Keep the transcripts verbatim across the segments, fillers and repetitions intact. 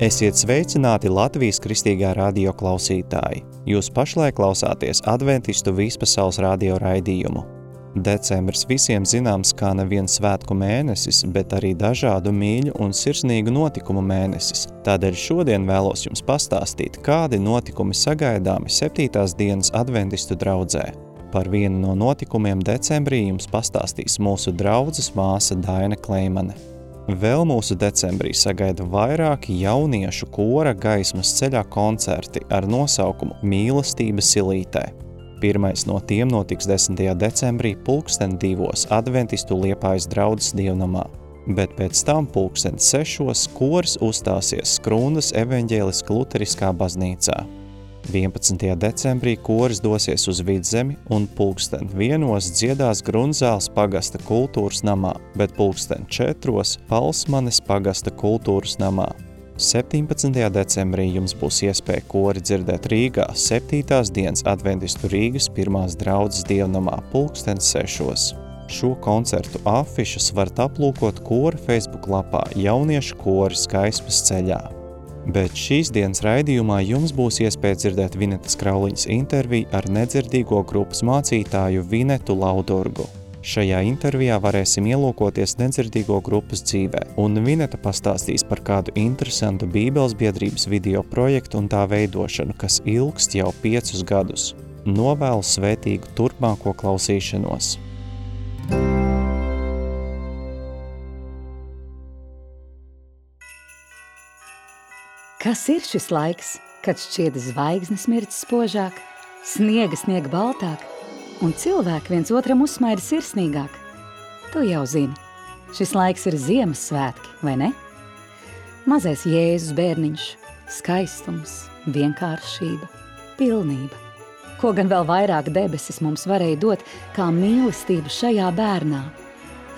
Esiet sveicināti Latvijas Kristīgā radio klausītāji. Jūs pašlaik klausāties Adventistu vispasaules radio raidījumu. Decembris visiem zināms kā nevien svētku mēnesis, bet arī dažādu mīļu un sirsnīgu notikumu mēnesis. Tādēļ šodien vēlos jums pastāstīt, kādi notikumi sagaidāmi septītās dienas Adventistu draudzē. Par vienu no notikumiem decembrī jums pastāstīs mūsu draudzes māsa Daina Kleimane. Vēl mūsu decembrī sagaida vairāki jauniešu kora gaismas ceļā koncerti ar nosaukumu Mīlestība silītē. Pirmais no tiem notiks desmitajā decembrī pulksten divos Adventistu Liepājas draudzes dievnamā, bet pēc tam pulksten sešos koris uzstāsies Skrundas evaņģēliska luteriskā baznīcā. vienpadsmitajā decembrī koris dosies uz Vidzemi un pulksten vienos dziedās Grunzāles pagasta kultūras namā, bet pulksten četros Palsmanes pagasta kultūras namā. septiņpadsmitajā decembrī jums būs iespēja kori dzirdēt Rīgā septītās dienas Adventistu Rīgas pirmās draudzes dievnamā pulksten sešos. Šo koncertu afišas varat aplūkot kora Facebook lapā Jauniešu koris gaismas ceļā. Bet šīs dienas raidījumā jums būs iespēja dzirdēt Vinetas Krauliņas interviju ar nedzirdīgo grupas mācītāju Vinetu Laudurgu. Šajā intervijā varēsim ielūkoties nedzirdīgo grupas dzīvē, un Vineta pastāstīs par kādu interesantu Bībeles biedrības video projektu un tā veidošanu, kas ilgst jau piecus gadus. Novēlu svētīgu turpmāko klausīšanos. Kas ir šis laiks, kad šķiet zvaigznes mirdz spožāk, sniega sniega baltāk un cilvēki viens otram uzsmaida sirsnīgāk? Tu jau zini, šis laiks ir Ziemassvētki, vai ne? Mazais Jēzus bērniņš, skaistums, vienkāršība, pilnība. Ko gan vēl vairāk debesis mums varēja dot, kā mīlestību šajā bērnā?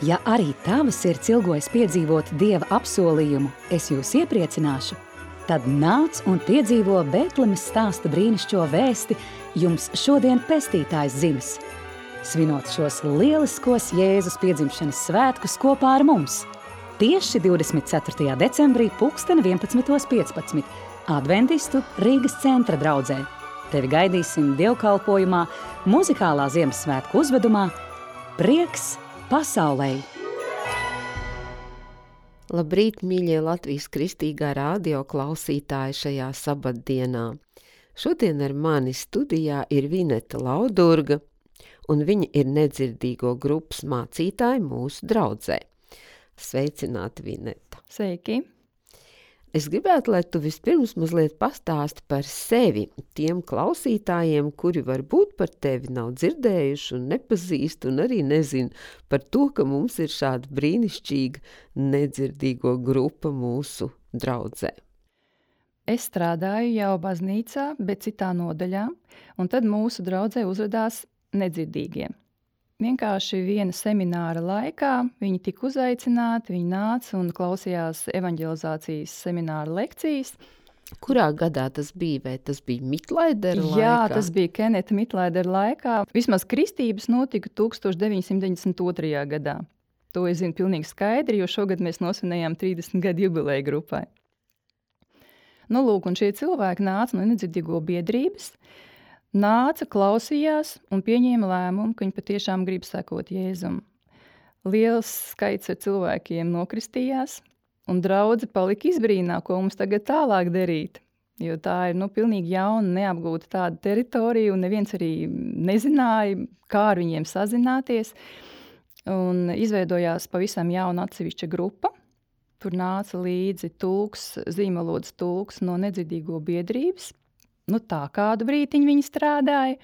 Ja arī tava sirds ilgojas piedzīvot Dieva apsolījumu, es jūs iepriecināšu, tad nāc un piedzīvo Bētlemes stāsta brīnišķo vēsti jums šodien pestītājs dzimis. Svinot šos lieliskos Jēzus piedzimšanas svētkus kopā ar mums. Tieši divdesmit ceturtajā decembrī pulksten vienpadsmitos piecpadsmit Adventistu Rīgas centra draudzē. Tevi gaidīsim dievkalpojumā, muzikālā Ziemassvētku uzvedumā Prieks pasaulei. Labrīt, mīļie Latvijas Kristīgā radio klausītāji šajā sabatdienā. Šodien ar mani studijā ir Vineta Laudurga, un viņa ir nedzirdīgo grupas mācītāja mūsu draudzē. Sveicināti, Vineta! Sveiki! Es gribētu, lai tu vispirms mazliet pastāsti par sevi tiem klausītājiem, kuri varbūt par tevi nav dzirdējuši un nepazīst un arī nezin par to, ka mums ir šāda brīnišķīga nedzirdīgo grupa mūsu draudzē. Es strādāju jau baznīcā, bet citā nodaļā, un tad mūsu draudzē uzvedās nedzirdīgie. Vienkārši viena semināra laikā viņi tika uzaicināti, viņi nāca un klausījās evaņģelizācijas semināra lekcijas. Kurā gadā tas bija? Vai tas bija Mitlaidera laikā? Jā, tas bija Keneta Mitlaidera laikā. Vismaz kristības notika tūkstoš deviņsimt deviņdesmit otrajā gadā. To es zinu pilnīgi skaidri, jo šogad mēs nosvinējām trīsdesmit gadu jubileju grupai. Nu, lūk, un šie cilvēki nāca no nedzirdīgo biedrības, nāca, klausījās un pieņēma lēmumu, ka viņi patiešām grib sekot Jēzum. Liels skaits ar cilvēkiem nokristījās, un draudze palika izbrīnā, ko mums tagad tālāk darīt. Jo tā ir nu, pilnīgi jauna, neapgūta tāda teritorija, un neviens arī nezināja, kā ar viņiem sazināties. Un izveidojās pavisam jauna atsevišķa grupa. Tur nāca līdzi tulks, zīmalodas tulks no nedzirdīgo biedrības. Nu tā kādu brītiņu viņi strādāja,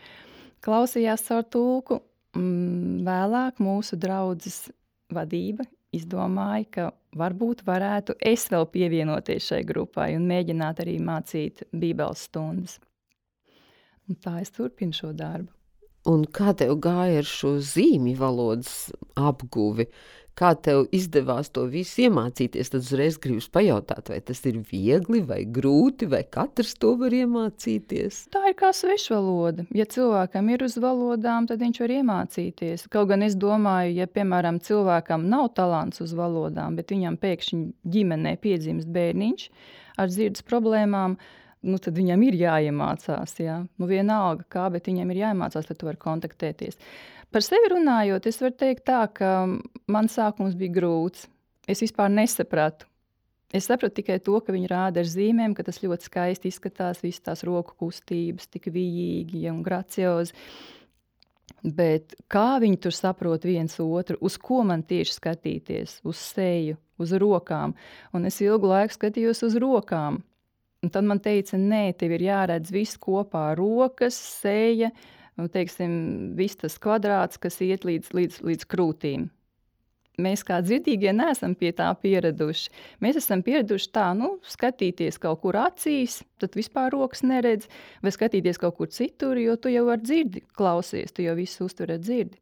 klausījās caur tulku. Vēlāk mūsu draudzes vadība izdomāja, ka varbūt varētu es vēl pievienoties šai grupai un mēģināt arī mācīt bībeles stundas. Un tā es turpinu šo darbu. Un kā tev gāja ar šo zīmju valodas apguvi? Kā tev izdevās to visu iemācīties? Tad uzreiz gribas pajautāt, vai tas ir viegli vai grūti, vai katrs to var iemācīties? Tā ir kā svešvaloda. Ja cilvēkam ir uz valodām, tad viņš var iemācīties. Kaut gan es domāju, ja, piemēram, cilvēkam nav talants uz valodām, bet viņam pēkšņi ģimenē piedzimst bērniņš ar dzirdes problēmām, nu, tad viņam ir jāiemācās. Jā. Nu, vienalga kā, bet viņam ir jāiemācās, lai tu vari kontaktēties. Par sevi runājot, es varu teikt tā, ka man sākums bija grūts. Es vispār nesapratu. Es sapratu tikai to, ka viņi rāda ar zīmēm, ka tas ļoti skaisti izskatās, visas tās roku kustības, tik vijīgi un graciozi. Bet kā viņi tur saprot viens otru, uz ko man tieši skatīties, uz seju, uz rokām. Un es ilgu laiku skatījos uz rokām. Un tad man teica, nē, tev ir jāredz viss kopā, rokas, seja, un, teiksim, viss tas kvadrāts, kas iet līdz, līdz, līdz krūtīm. Mēs kā dzirdīgie neesam pie tā pieraduši. Mēs esam pieraduši tā, nu, skatīties kaut kur acīs, tad vispār rokas neredz, vai skatīties kaut kur citur, jo tu jau ar dzirdi klausies, tu jau visu uztver ar dzirdi.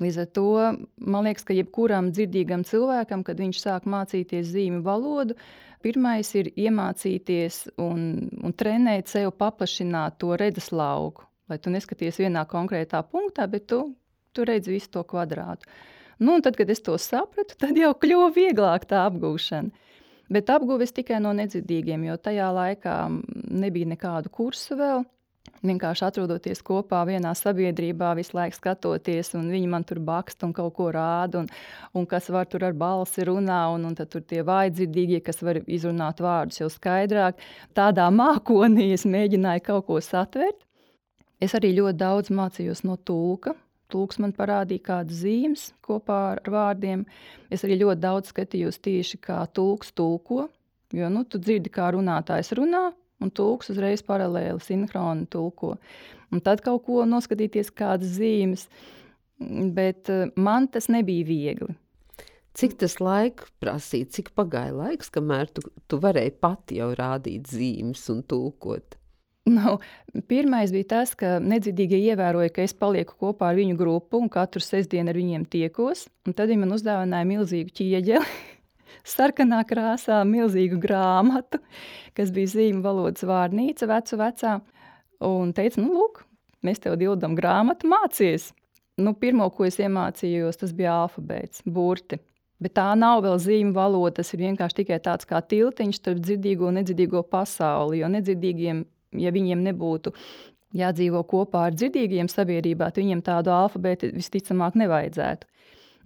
Līdz ar to, man liekas, ka jebkuram dzirdīgam cilvēkam, kad viņš sāk mācīties zīmju valodu, pirmais ir iemācīties un, un trenēt sev paplašināt to redzes lauku, lai tu neskaties vienā konkrētā punktā, bet tu, tu redzi visu to kvadrātu. Nu, un tad, kad es to sapratu, tad jau kļuva vieglāk tā apgūšana. Bet apguves tikai no nedzirdīgiem, jo tajā laikā nebija nekādu kursu vēl. Vienkārši atrodoties kopā vienā sabiedrībā, visu laiku skatoties, un viņi man tur bakst un kaut ko rāda, un, un kas var tur ar balsi runā, un, un tad tur tie vājdzirdīgie, kas var izrunāt vārdus jau skaidrāk. Tādā mākonī es mēģināju kaut ko satvert. Es arī ļoti daudz mācījos no tulka. Tulks man parādīja kādas zīmes kopā ar vārdiem. Es arī ļoti daudz skatījos tieši, kā tulks tulko, jo nu, tu dzirdi, kā runātājs runā, un tulks uzreiz paralēli sinhroni tulko. Un tad kaut ko noskatīties kādas zīmes, bet man tas nebija viegli. Cik tas laiks prasīja, cik pagāja laiks, kamēr tu, tu varēji pati jau rādīt zīmes un tulkot? Nu, pirmais bija tas, ka nedzirdīgie ievēroja, ka es palieku kopā ar viņu grupu un katru sestdienu ar viņiem tiekos. Un tad viņi man uzdāvināja milzīgu ķieģeli, sarkanā krāsā, milzīgu grāmatu, kas bija zīmju valodas vārnīca, vecu vecā. Un teica, nu lūk, mēs tev dildam grāmatu, mācies. Nu, pirmo, ko es iemācījos, tas bija alfabēts, burti. Bet tā nav vēl zīmju valoda, tas ir vienkārši tikai tāds kā tiltiņš starp dzirdīgo un nedzirdīgo pasauli, jo nedzirdīgiem, ja viņiem nebūtu jādzīvo kopā ar dzirdīgiem sabiedrībā, tad viņiem tādu alfabētu visticamāk nevajadzētu.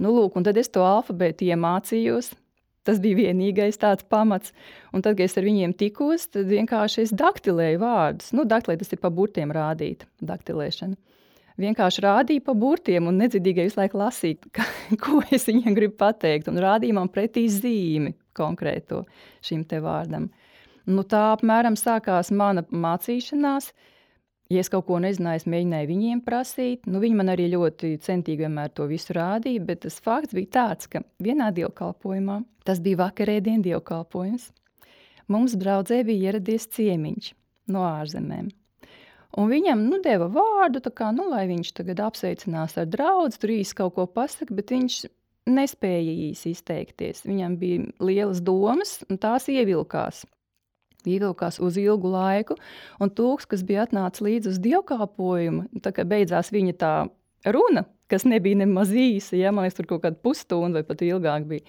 Nu, lūk, un tad es to alfabētu iemācījos. Tas bija vienīgais tāds pamats. Un tad, kad es ar viņiem tikos, tad vienkārši es daktilēju vārdus. Nu, daktilē tas ir pa burtiem rādīt, daktilēšana. Vienkārši rādīju pa burtiem un nedzirdīgai visu laiku lasīt, ka, ko es viņiem gribu pateikt. Un rādīju man pretī zīmi konkrēto šim te vārdam. Nu, tā apmēram sākās mana mācīšanās. Ja es kaut ko nezināju, es mēģināju viņiem prasīt. Nu, viņi man arī ļoti centīgi vienmēr to visu rādīja, bet tas fakts bija tāds, ka vienā dievkalpojumā, tas bija vakarēdien dievkalpojums, mums draudzē bija ieradies ciemiņš no ārzemēm. Un viņam nu, deva vārdu, tā kā, nu, lai viņš tagad apsveicinās ar draudzi, tur īsti kaut ko pasaka, bet viņš nespēja īsi izteikties. Viņam bija lielas domas, un tās ievilkās. Ievilkās uz ilgu laiku, un tulks, kas bija atnācis līdz uz dievkalpojumu, tā kā beidzās viņa tā runa, kas nebija nemaz īsa, ja, man liekas, tur kaut kāda pusstunda vai pat ilgāk bija.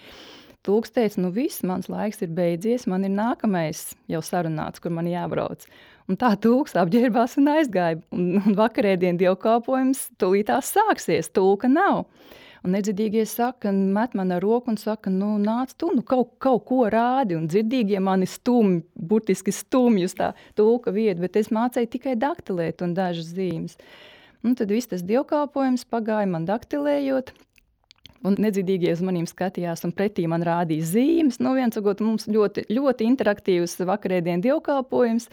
Tulks teica, nu viss, mans laiks ir beidzies, man ir nākamais jau sarunāts, kur man jābrauc. Un tā tulks apģērbās un aizgāja, un, un vakarēdien dievkalpojums tūlītās sāksies, tulka nav. Un nedzirdīgie saka, met man ar roku un saka, nu nāc tu, nu kaut, kaut ko rādi. Un dzirdīgie mani stumj, burtiski stumj uz tā tulka vietu, bet es mācēju tikai daktilēt un dažas zīmes. Un tad viss tas dievkalpojums pagāja man daktilējot. Un nedzirdīgie uz manīm skatījās un pretī man rādīja zīmes. Nu viens sakot, mums ļoti, ļoti interaktīvs vakarēdien dievkalpojums.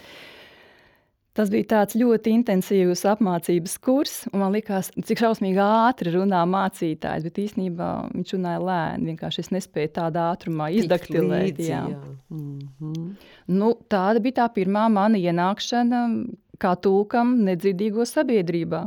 Tas bija tāds ļoti intensīvs apmācības kurs, un man likās, cik šausmīgi ātri runā mācītājs, bet īstenībā viņš runāja lēni, vienkārši es nespēju tādā ātrumā izdaktilēt. Līdzi, jā. Jā. Mm-hmm. Nu, tāda bija tā pirmā mana ienākšana kā tulkam nedzirdīgo sabiedrībā.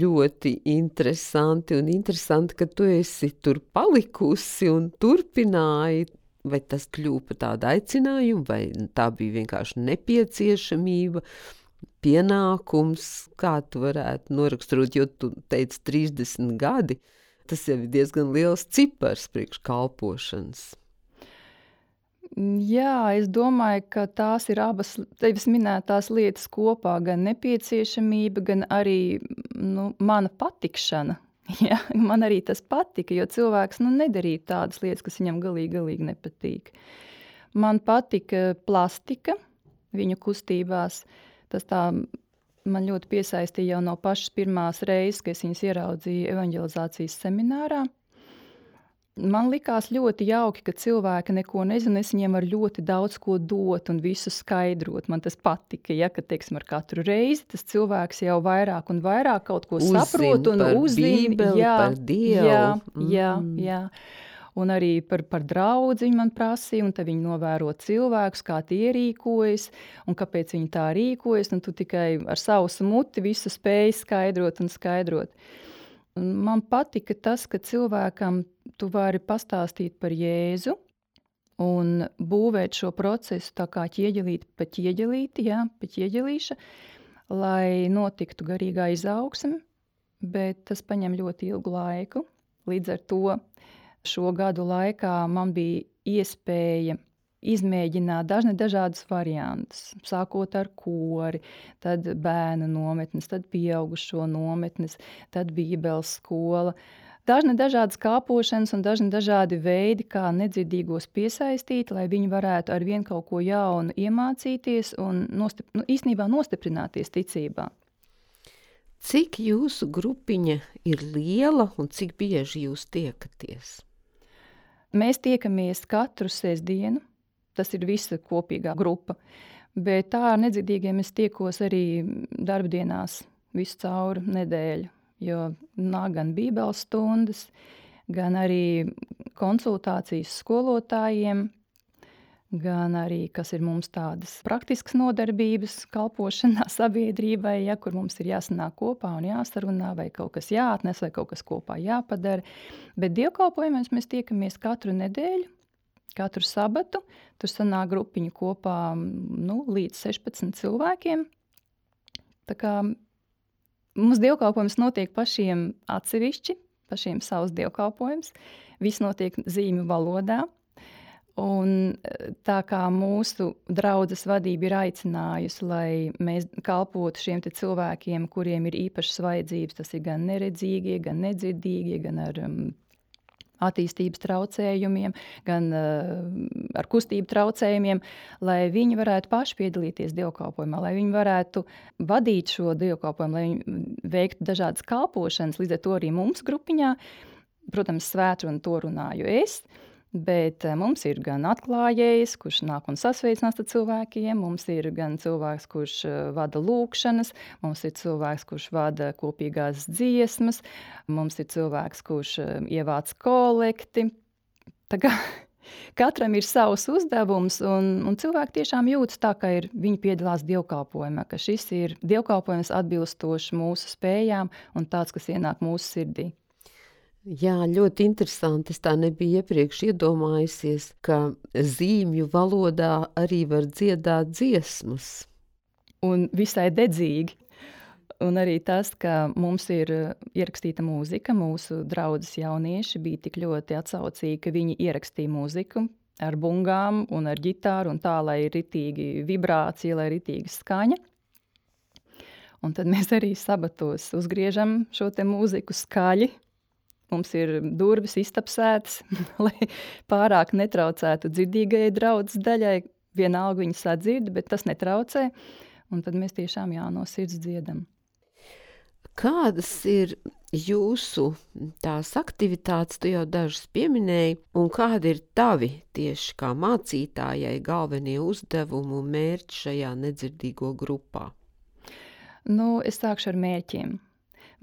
Ļoti interesanti un interesanti, ka tu esi tur palikusi un turpināji. Vai tas kļūpa par tādu aicinājumu, vai tā bija vienkārši nepieciešamība, pienākums, kā tu varētu noraksturot, jo tu teici trīsdesmit gadi, tas jau ir diezgan liels cipars priekš kalpošanas. Jā, es domāju, ka tās ir abas tevis minētās lietas kopā, gan nepieciešamība, gan arī nu, mana patikšana. Ja, man arī tas patika, jo cilvēks nu, nedarīja tādas lietas, kas viņam galīgi, galīgi nepatīk. Man patika plastika viņu kustībās. Tas tā man ļoti piesaistīja jau no pašas pirmās reizes, kad es viņus ieraudzīju evanģelizācijas seminārā. Man likās ļoti jauki, ka cilvēki neko nezina, es viņiem var ļoti daudz ko dot un visu skaidrot. Man tas patika, ja, ka, teiksim, ar katru reizi tas cilvēks jau vairāk un vairāk kaut ko Uzzin saprot un par uzzina. Bībeli, Jā, par Dievu. jā, Mm. jā, jā. Un arī par, par draudzi viņi man prasīja, un tad viņi novēro cilvēkus, kā tie rīkojas, un kāpēc viņi tā rīkojas, un tu tikai ar sausu muti visu spēji skaidrot un skaidrot. Man patika tas, ka cilvēkam tu vari pastāstīt par Jēzu un būvēt šo procesu tā kā ķieģelīti pa ķieģelīti, jā, pa ķieģelīša, lai notiktu garīgā izaugsme, bet tas paņem ļoti ilgu laiku. Līdz ar to šo gadu laikā man bija iespēja izmēģināt dažne dažādas variantus, sākot ar kori, tad bērnu nometnes, tad pieaugušo nometnes, tad bībeles skola. Dažne dažādas kāpošanas un dažne dažādi veidi, kā nedzirdīgos piesaistīt, lai viņi varētu ar vien kaut ko jaunu iemācīties un nostip, nu, īstenībā nostiprināties ticībā. Cik jūsu grupiņa ir liela un cik bieži jūs tiekaties? Mēs tiekamies katru sestdienu. Tas ir visa kopīgā grupa. Bet tā ar nedzirdīgiem es tiekos arī darbdienās visu cauri nedēļu, jo nāk gan bībeles stundas, gan arī konsultācijas skolotājiem, gan arī, kas ir mums tādas praktiskas nodarbības, kalpošanā sabiedrībai, ja, kur mums ir jāsanāk kopā un jāsarunā, vai kaut kas jāatnes, vai kaut kas kopā jāpadara. Bet dievkalpojumos mēs tiekamies katru nedēļu, katru sabatu. Tur sanāk grupiņu kopā nu, līdz sešpadsmit cilvēkiem. Tā kā mums dievkalpojums notiek pašiem atsevišķi, pašiem savs dievkalpojums. Viss notiek zīmju valodā. Un tā kā mūsu draudzes vadība ir aicinājusi, lai mēs kalpotu šiem te cilvēkiem, kuriem ir īpašas vajadzības, tas ir gan neredzīgie, gan nedzirdīgie, gan ar um, attīstības traucējumiem, gan uh, ar kustību traucējumiem, lai viņi varētu paši piedalīties dievkalpojumā, lai viņi varētu vadīt šo dievkalpojumu, lai viņi veiktu dažādas kalpošanas, līdz ar to arī mums grupiņā. Protams, svētrunu to runāju es, bet mums ir gan atklājējs, kurš nāk un sasveicinās ar cilvēkiem, mums ir gan cilvēks, kurš vada lūkšanas, mums ir cilvēks, kurš vada kopīgās dziesmas, mums ir cilvēks, kurš ievāc kolekti. Tā kā katram ir savs uzdevums, un, un cilvēki tiešām jūtas tā, ka ir, viņi piedalās dievkalpojumā, ka šis ir dievkalpojums atbilstošs mūsu spējām un tāds, kas ienāk mūsu sirdī. Jā, ļoti interesanti. Es tā nebiju iepriekš iedomājusies, ka zīmju valodā arī var dziedāt dziesmas. Un visai dedzīgi. Un arī tas, ka mums ir ierakstīta mūzika, mūsu draudzes jaunieši bija tik ļoti atsaucīgi, ka viņi ierakstīja mūziku ar bungām un ar ģitāru un tā, lai ir ritīgi vibrācija, lai ir ritīga skaņa. Un tad mēs arī sabatos uzgriežam šo te mūziku skaļi. Mums ir durvis iztapsētas, lai pārāk netraucētu dzirdīgajai draudzes daļai. Vienalga viņi sadzird, bet tas netraucē. Un tad mēs tiešām jā, no sirds dziedam. Kādas ir jūsu tās aktivitātes, tu jau dažas pieminēji, un kādi ir tavi tieši kā mācītājai galvenie uzdevumi un mērķi šajā nedzirdīgo grupā? Nu, es sākšu ar mērķiem.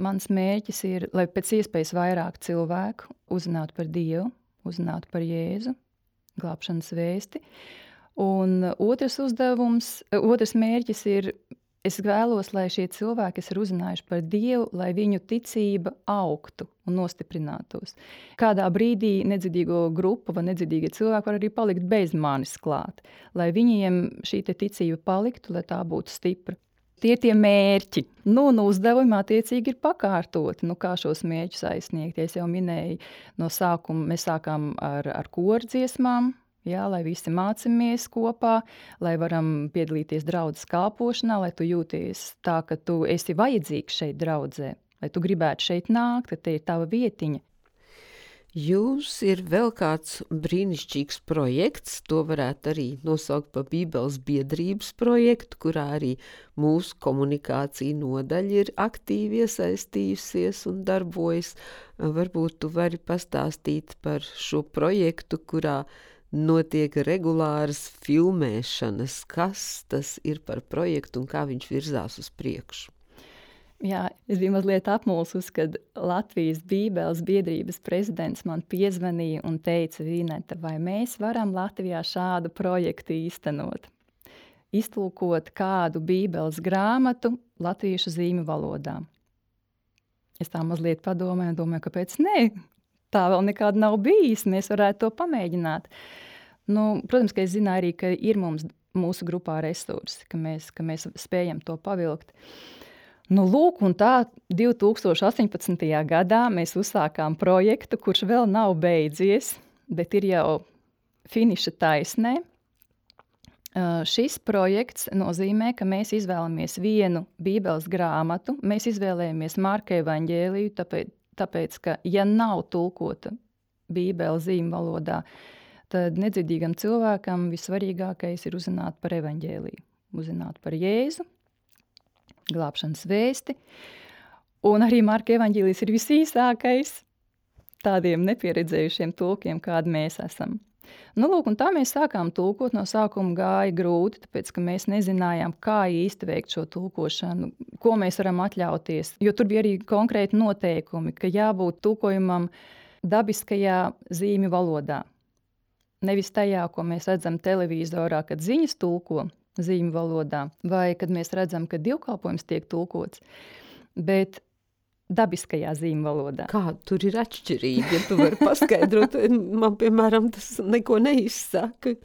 Mans mērķis ir, lai pēc iespējas vairāk cilvēku uzzinātu par Dievu, uzzinātu par Jēzu, glābšanas vēsti. Un otrs uzdevums, otrs mērķis ir, es vēlos, lai šie cilvēki, kas ir uzzinājuši par Dievu, lai viņu ticība augtu un nostiprinātos. Kādā brīdī nedzirdīgo grupu vai nedzirdīgie cilvēki var arī palikt bez manis klāt, lai viņiem šī te ticība paliktu, lai tā būtu stipra. Tie ir tie mērķi. Nu, un uzdevumi attiecīgi ir pakārtoti. Nu, kā šos mērķus aizsniegt? Es jau minēju, no sākuma mēs sākām ar, ar koru dziesmām. Jā, lai visi mācamies kopā, lai varam piedalīties draudzes kalpošanā, lai tu jūties tā, ka tu esi vajadzīgs šeit draudzē, lai tu gribētu šeit nākt, ka te ir tava vietiņa. Jums ir vēl kāds brīnišķīgs projekts, to varētu arī nosaukt par Bībeles biedrības projektu, kurā arī mūsu komunikācija nodaļa ir aktīvi iesaistījusies un darbojas. Varbūt tu vari pastāstīt par šo projektu, kurā notiek regulāras filmēšanas. Kas tas ir par projektu un kā viņš virzās uz priekšu? Jā, es biju mazliet apmulsus, kad Latvijas Bībeles biedrības prezidents man piezvanīja un teica, Vineta, vai mēs varam Latvijā šādu projektu īstenot? Iztulkot kādu Bībeles grāmatu latviešu zīmju valodā. Es tā mazliet padomāju un domāju, kāpēc nē? Tā vēl nekāda nav bijis, mēs varētu to pamēģināt. Nu, protams, ka es zināju arī, ka ir mums mūsu grupā resursi, ka mēs, ka mēs spējam to pavilkt. Nu, lūk, un tā divi tūkstoši astoņpadsmitajā gadā mēs uzsākām projektu, kurš vēl nav beidzies, bet ir jau finiša taisnē. Uh, šis projekts nozīmē, ka mēs izvēlamies vienu Bībeles grāmatu, mēs izvēlējamies Marka evaņģēliju, tāpēc, tāpēc, ka ja nav tulkota Bībele zīmju valodā, tad nedzirdīgam cilvēkam vissvarīgākais ir uzzināt par evaņģēliju, uzzināt par Jēzu, glābšanas vēsti, un arī Marka evaņģēlijs ir visīsākais tādiem nepieredzējušiem tulkiem, kādi mēs esam. Nu, lūk, un tā mēs sākām tulkot, no sākuma gāja grūti, tāpēc, ka mēs nezinājām, kā īsti veikt šo tulkošanu, ko mēs varam atļauties, jo tur bija arī konkrēti noteikumi, ka jābūt tulkojumam dabiskajā zīmju valodā. Nevis tajā, ko mēs redzam televīzorā, kad ziņas tulko zīmju valodā, vai kad mēs redzam, ka divkalpojums tiek tulkots, bet dabiskajā zīmju valodā. Kā tur ir atšķirība, ja tu vari paskaidrot? Man, piemēram, tas neko neizsaka.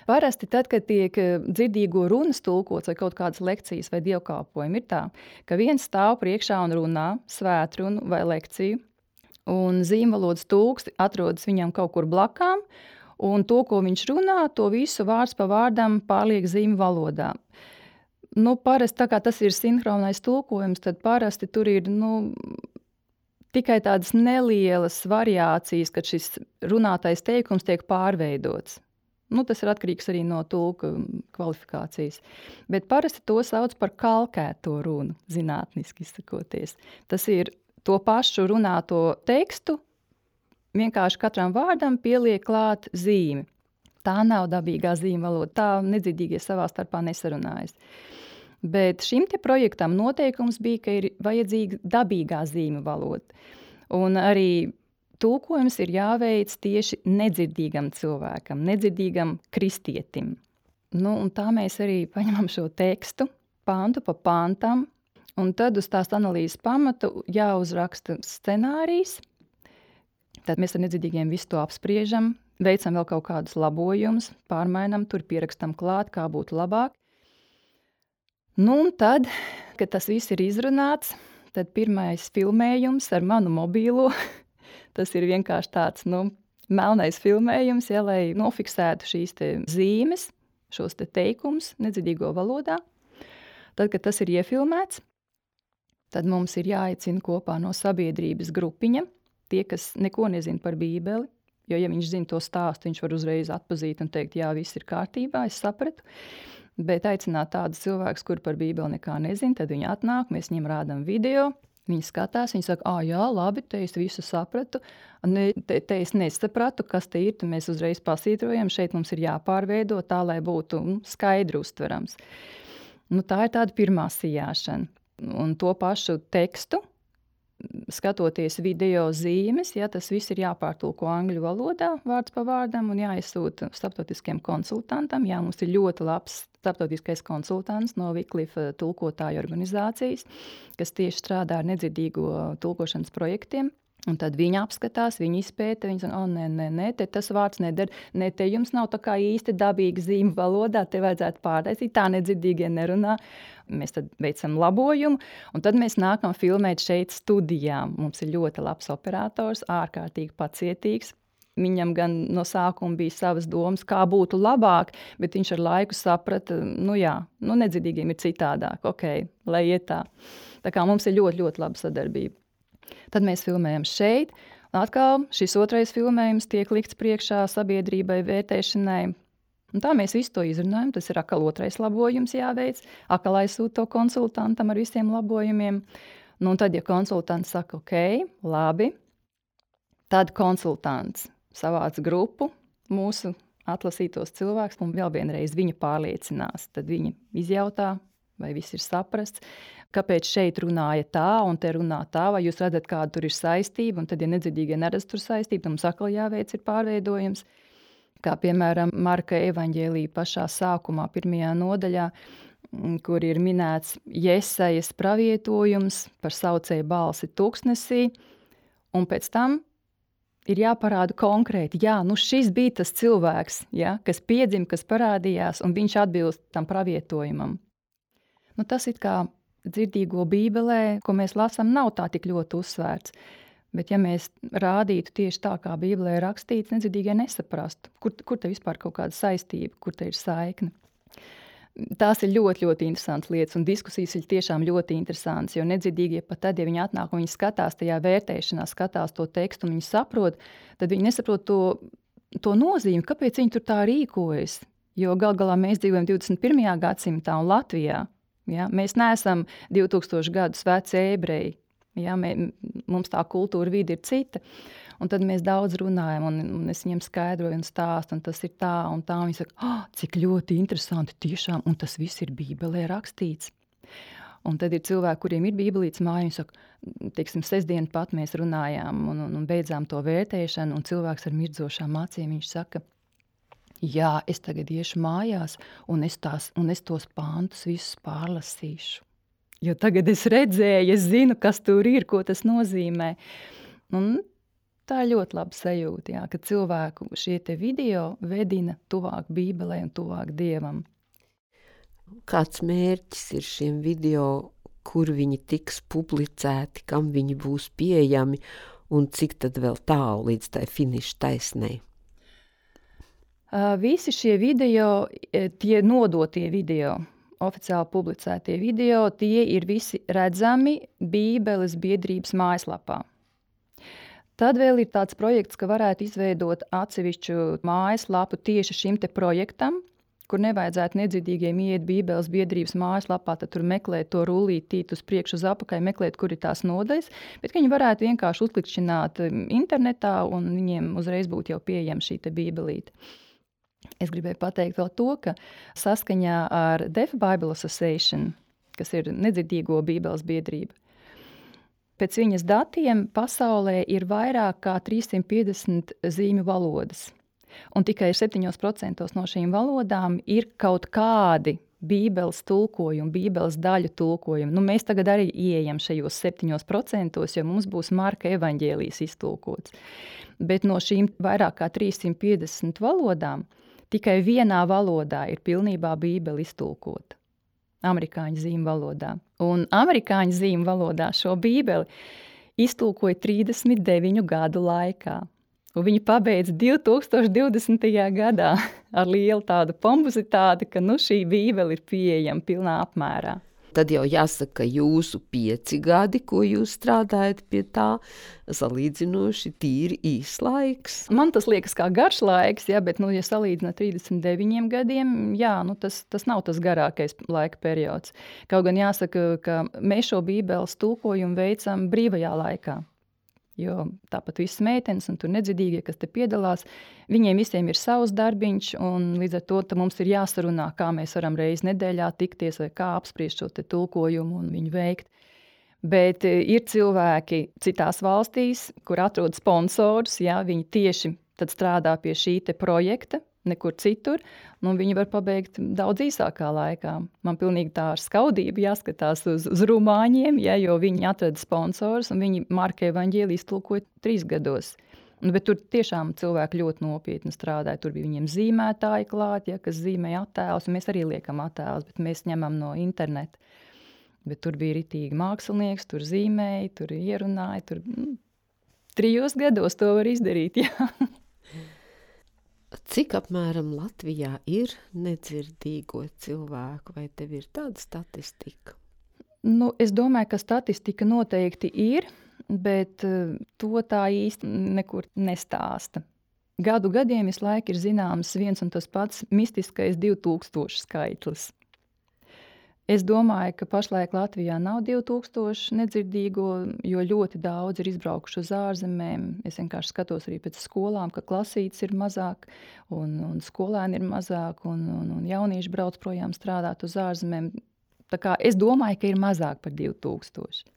Parasti tad, kad tiek dzirdīgo runas tulkots vai kaut kādas lekcijas vai dievkalpojumi, ir tā, ka viens stāv priekšā un runā svētrunu vai lekciju, un zīmvalodas tulks atrodas viņam kaut kur blakām, un to, ko viņš runā, to visu vārds pa vārdam pārliek zīmju valodā. Nu, parasti, tā kā tas ir sinhronais tulkojums, tad parasti tur ir, nu, tikai tādas nelielas variācijas, kad šis runātais teikums tiek pārveidots. Nu, tas ir atkarīgs arī no tulka kvalifikācijas. Bet parasti to sauc par kalkēto runu, zinātniski izsakoties. Tas ir to pašu runāto tekstu, vienkārši katram vārdam pieliek klāt zīmi. Tā nav dabīgā zīmju valoda, tā nedzirdīgie savā starpā nesarunājas. Bet šim te projektam noteikums bija, ka ir vajadzīga dabīgā zīmju valoda. Un arī tulkojums ir jāveic tieši nedzirdīgam cilvēkam, nedzirdīgam kristietim. Nu, un tā mēs arī paņemam šo tekstu, pantu pa pantam, un tad uz tās analīzes pamatu jāuzraksta scenārijs. Tad mēs ar nedzirdīgiem visu to apspriežam, veicam vēl kaut kādus labojumus, pārmainam, tur pierakstam klāt, kā būtu labāk. Nu, un tad, kad tas viss ir izrunāts, tad pirmais filmējums ar manu mobīlo, tas ir vienkārši tāds, nu, melnais filmējums, ja, lai nofiksētu šīs te zīmes, šos te teikumus nedzirdīgo valodā. Tad, kad tas ir iefilmēts, tad mums ir jāaicina kopā no sabiedrības grupiņa, tie, kas neko nezina par Bībeli, jo, ja viņš zina to stāstu, viņš var uzreiz atpazīt un teikt, jā, viss ir kārtībā, es sapratu. Bet aicināt tādus cilvēkus, kuri par Bībeli nekā nezina, tad viņi atnāk, mēs viņiem rādam video, viņi skatās, viņi saka, ā, jā, labi, te es visu sapratu, ne, te, te es nesapratu, kas te ir, tad mēs uzreiz pasītrojam, šeit mums ir jāpārveido tā, lai būtu nu, skaidri uztverams. Nu, tā ir tāda pirmā sijāšana. Un to pašu tekstu, skatoties video zīmes, ja, tas viss ir jāpārtulko angļu valodā, vārds pa vārdam, un jāizsūta starptautiskiem konsultantam. Jā, mums ir ļoti labs starptautiskais konsultants no Wycliffe tulkotāju organizācijas, kas tieši strādā ar nedzirdīgo tulkošanas projektiem. Un tad viņi apskatās, viņi izpēta, viņi saka, o, nē, nē, nē, te tas vārds neder, nē, te jums nav tā kā īsti dabīga zīme valodā, te vajadzētu pārtaisīt, tā nedzirdīgie nerunā. Mēs tad veicam labojumu, un tad mēs nākam filmēt šeit studijā. Mums ir ļoti labs operators, ārkārtīgi pacietīgs. Viņam gan no sākuma bija savas domas, kā būtu labāk, bet viņš ar laiku saprata, nu jā, nu nedzirdīgiem ir citādāk, ok, lai iet tā. Tā kā mums ir ļoti, ļoti laba sadarbība. Tad mēs filmējam šeit, un atkal šis otrais filmējums tiek likts priekšā sabiedrībai vērtēšanai. Un tā mēs visu to izrunājam, tas ir atkal otrais labojums jāveic, atkal aizsūt to konsultantam ar visiem labojumiem. Nu, un tad, ja konsultants saka, ok, labi, tad konsultants savāc grupu, mūsu atlasītos cilvēkus, un vēl vienreiz viņa pārliecinās. Tad viņa izjautā, vai viss ir saprasts, kāpēc šeit runāja tā, un te runā tā, vai jūs redzat, kāda tur ir saistība, un tad, ja nedzirdīgie neredz tur saistību, tad mums atkal jāveic ir pārveidojums. Kā piemēram Marka evaņģēlija pašā sākumā, pirmajā nodaļā, kur ir minēts Jesajas pravietojums par saucēju balsi tuksnesī, un pēc tam ir jāparāda konkrēti, jā, nu šis bija tas cilvēks, ja, kas piedzima, kas parādījās, un viņš atbilst tam pravietojumam. Nu, tas ir kā dzirdīgo bībelē, ko mēs lasām, nav tā tik ļoti uzsvērts. Bet ja mēs rādītu tieši tā, kā bībelē ir rakstīts, nedzirdīgie nesaprastu, kur, kur te vispār kaut kāda saistība, kur te ir saikne. Tās ir ļoti, ļoti interesantas lietas, un diskusijas ir tiešām ļoti interesantas, jo nedzirdīgie pat tad, ja viņi atnāk un viņi skatās tajā vērtēšanā, skatās to tekstu un viņi saprot, tad viņi nesaprot to, to nozīmi, kāpēc viņi tur tā rīkojas. Jo gal galā mēs dzīvojam divdesmit pirmajā gadsimtā un Latvijā. Ja? Mēs neesam divtūkstoši gadus veci ebreji. Ja? Mē, mums tā kultūra vide ir cita. Un tad mēs daudz runājam, un, un es viņiem skaidroju un stāstu, un tas ir tā, un tā. Un viņi saka, oh, cik ļoti interesanti tiešām, un tas viss ir bībelē rakstīts. Un tad ir cilvēki, kuriem ir bībelītes māja, viņi saka, teiksim, sestdien pat mēs runājām un, un, un beidzām to vērtēšanu, un cilvēks ar mirdzošām acīm, viņš saka, jā, es tagad iešu mājās, un es, tās, un es tos pāntus visus pārlasīšu. Jo tagad es redzēju, es zinu, kas tur ir, ko tas nozīmē. Un tā ir ļoti laba sajūta, jā, ka cilvēku šie te video vedina tuvāk Bībelē un tuvāk Dievam. Kāds mērķis ir šiem video, kur viņi tiks publicēti, kam viņi būs pieejami un cik tad vēl tālu līdz tai finiša taisnei? Uh, visi šie video, tie nodotie video, oficiāli publicētie video, tie ir visi redzami Bībeles biedrības mājaslapā. Tad vēl ir tāds projekts, ka varētu izveidot atsevišķu mājaslapu tieši šim te projektam, kur nevajadzētu nedzirdīgiem iet Bībeles biedrības mājaslapā, tad tur meklēt to rullītīt uz priekšu uz apakaļ, meklēt, kur ir tās nodaļas, bet viņi varētu vienkārši uzklikšķināt internetā un viņiem uzreiz būtu jau pieejama šī te bībelīte. Es gribēju pateikt vēl to, ka saskaņā ar Deaf Bible Association, kas ir nedzirdīgo Bībeles biedrība, pēc viņas datiem pasaulē ir vairāk kā trīssimt piecdesmit zīmju valodas. Un tikai septiņos procentos no šīm valodām ir kaut kādi Bībeles tulkojumi, Bībeles daļu tulkojumi. Nu, mēs tagad arī ieejam šajos septiņos procentos, jo mums būs Marka evaņģēlijs iztulkots. Bet no šīm vairāk kā trīssimt piecdesmit valodām tikai vienā valodā ir pilnībā Bībele iztulkota. Amerikāņu zīmju valodā. Un amerikāņu zīmju valodā šo bībeli iztulkoja trīsdesmit deviņu gadu laikā. Un viņi pabeidz divi tūkstoši divdesmitajā gadā ar lielu tādu pompozitāti, ka nu šī bībele ir pieejama pilnā apmērā. Tad jau jāsaka, ka jūsu pieci gadi, ko jūs strādājat pie tā, salīdzinoši tīri īs laiks. Man tas liekas kā garš laiks, ja, bet, nu, ja salīdzināt trīsdesmit deviņiem gadiem, jā, nu, tas, tas nav tas garākais laika periods. Kaut gan jāsaka, ka mēs šo bībeles tulkojumu veicam brīvajā laikā. Jo tāpat visas meitenes un tur nedzirdīgie, kas te piedalās, viņiem visiem ir savs darbiņš, un līdz ar to mums ir jāsarunā, kā mēs varam reizi nedēļā tikties vai kā apspriest šo te tulkojumu un viņu veikt. Bet ir cilvēki citās valstīs, kur atrod sponsorus, ja, viņi tieši tad strādā pie šī te projekta, nekur citur, un viņi var pabeigt daudz īsākā laikā. Man pilnīgi tā ar skaudību jāskatās uz, uz rumāņiem, ja, jo viņi atrada sponsors, un viņi Marka evaņģēliju iztulkoja trīs gados. Bet tur tiešām cilvēki ļoti nopietni strādāja. Tur bija viņiem zīmētāji klāt, ja, kas zīmēja attēlus, un mēs arī liekam attēlus, bet mēs ņemam no interneta. Bet tur bija ritīgi mākslinieks, tur zīmēja, tur ierunāja, tur mm, trijos gados to var izdarīt, jā. Cik apmēram Latvijā ir nedzirdīgo cilvēku, vai tev ir tāda statistika? Nu, es domāju, ka statistika noteikti ir, bet uh, to tā īsti nekur nestāsta. Gadu gadiem visu laiku ir zināms viens un tas pats mistiskais divi tūkstoši skaitlis. Es domāju, ka pašlaik Latvijā nav divi tūkstoši nedzirdīgo, jo ļoti daudz ir izbraukuši uz ārzemēm. Es vienkārši skatos arī pēc skolām, ka klasītes ir mazāk, un, un skolēni ir mazāk, un, un, un jaunieši brauc projām strādāt uz ārzemēm. Tā kā es domāju, ka ir mazāk par divi tūkstoši.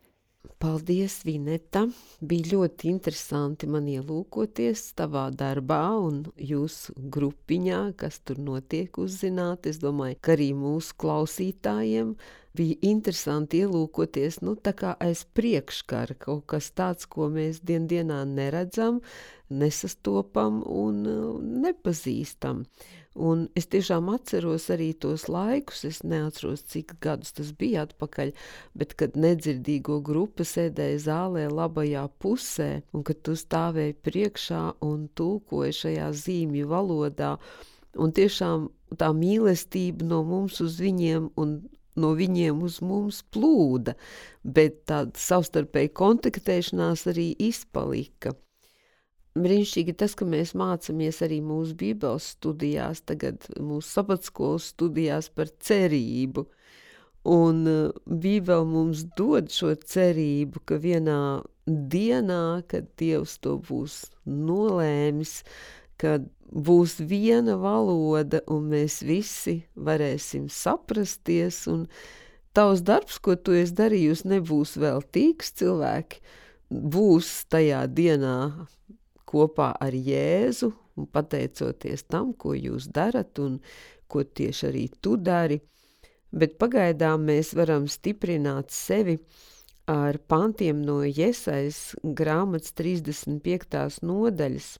Paldies, Vineta! Bija ļoti interesanti man ielūkoties tavā darbā un jūsu grupiņā, kas tur notiek, uzzināt. Es domāju, ka arī mūsu klausītājiem bija interesanti ielūkoties, nu tā kā aiz priekškara, kaut kas tāds, ko mēs dien dienā neredzam, nesastopam un nepazīstam. Un es tiešām atceros arī tos laikus, es neatceros, cik gadus tas bija atpakaļ, bet kad nedzirdīgo grupa sēdēja zālē labajā pusē, un kad tu stāvēji priekšā un tulkoji šajā zīmju valodā, un tiešām tā mīlestība no mums uz viņiem un no viņiem uz mums plūda, bet tāda savstarpēja kontaktēšanās arī izpalika. Brīnišķīgi tas, ka mēs mācamies arī mūsu bībeles studijās, tagad mūsu sabatskolas studijās par cerību. Un bībele mums dod šo cerību, ka vienā dienā, kad Dievs to būs nolēmis, kad būs viena valoda un mēs visi varēsim saprasties, un tavs darbs, ko tu esi darījusi, nebūs veltīgs. Cilvēki būs tajā dienā kopā ar Jēzu un pateicoties tam, ko jūs darat un ko tieši arī tu dari. Bet pagaidām mēs varam stiprināt sevi ar pantiem no Jesajas grāmatas trīsdesmit piektās nodaļas.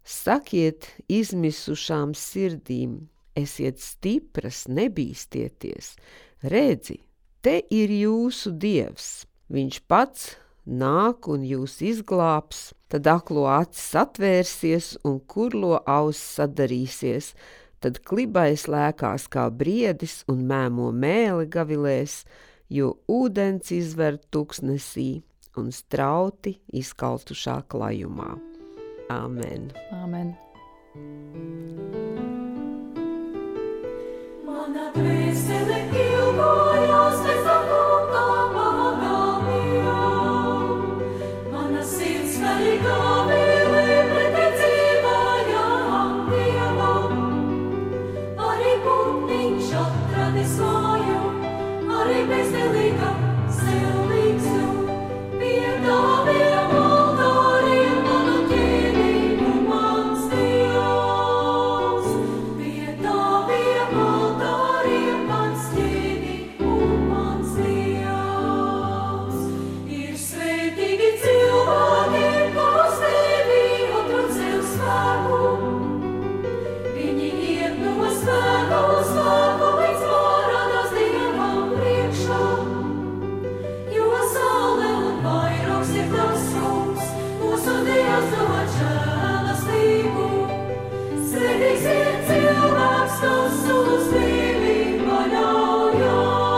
Sakiet izmisušām sirdīm, esiet stipras, nebīstieties. Redzi, te ir jūsu Dievs. Viņš pats nāk un jūs izglābs, tad aklo acis atvērsies un kurlo auss sadarīsies, tad klibais lēkās kā briedis un mēmo mēli gavilēs, jo ūdens izver tuksnesī un strauti izkaltušā klajumā. Āmen. Āmen. Mana dvēsele ilgojās pēc tā kunga pagalmiem. Mana sirds skaļīgā vēlē preticībājām Dievam. Arī putniņš atradis māju, arī bezdelīga sev līgstu. Pie taviem altāriem manu ķēnību mans Dievs. Pie taviem altāriem mans ķēnību mans Dievs. Ir svētīgi cilvēki, kas tevi atrod sev spēku. Viņi iet no spēku uz spēku, līdz parādās Dievam priekšā. Jo saule un vairogs ir tas kungs, mūsu Dievs dod žēlastību. Svētīgs ir cilvēks, kas uz tevi paļaujas.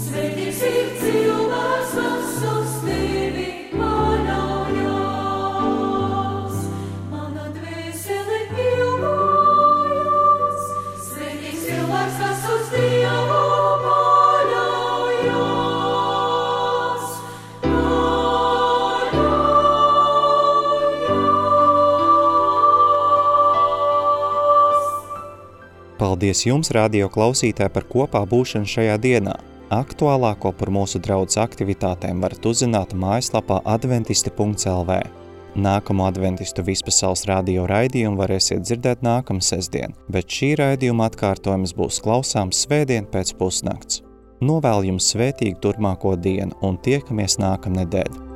Svētīgs ir cilvēks, kas uz tevi paļaujas. Mana dvēsele ilgojas. Svētīgs cilvēks, kas uz Dievu paļaujas. Paldies jums, radio klausītāji, par kopā būšanu šajā dienā. Aktuālāko par mūsu draudzes aktivitātēm varat uzzināt mājaslapā adventisti punkts el vē. Nākamo adventistu vispasaules radio raidījumu varēsiet dzirdēt nākamā sestdien, bet šī raidījuma atkārtojums būs klausāms svētdien pēc pusnakts. Novēlu jums svētīgu turpmāko dienu un tiekamies nākamnedēļ.